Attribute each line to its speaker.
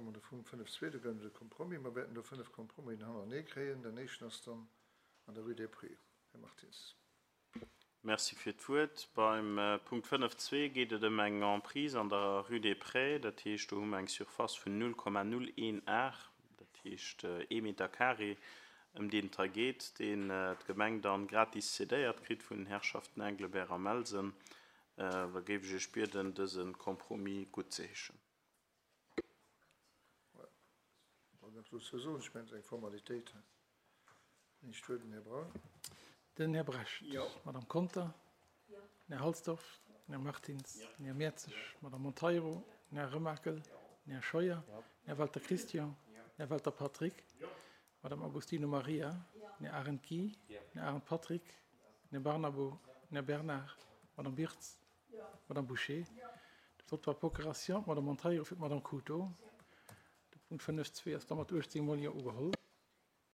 Speaker 1: komme mer de Punkt 5.2, do gëtt et e Compromis. Mer wäerten do 5 Compromisen hannerenee kréien. Den éischten ass dann an der Rue des Prés. Här Martins.
Speaker 2: Merci fir d'Wuert. Beim Punkt 5.2 geet et ëm eng Emprise an der Rue des Prés. Dat heescht, do hu mer eng Surface vun 0,01 Ar, dat heescht ee Meter carré, ëm deen et hei geet, deen d'Gemeng dann gratis cédéiert kritt vun den Herrschaften Englebert a Melsen. Da géif ech Iech bieden, dëse Compromis guttzeheeschen.
Speaker 3: Den Här Brecht, d'Madame Conter, den Här Halsdorf, den Här Martins, den Här Mertzig, d'Madame Monteiro, den Här Remakel, den Här Scheuer, den Här Walter Christian, den Här Walter Patrick, d'Madame Agostino Maria, den Här Arendt Guy, den Här Arendt Patrick, den Här Barnabo, den Här Bernard, d'Madame Birtz, D'Madame Bouché. De Vote par procuration, d'Madame Monteiro fir d'Madame Couto. De Punkt 5.2 ass da mat 18 mol Jo ugeholl.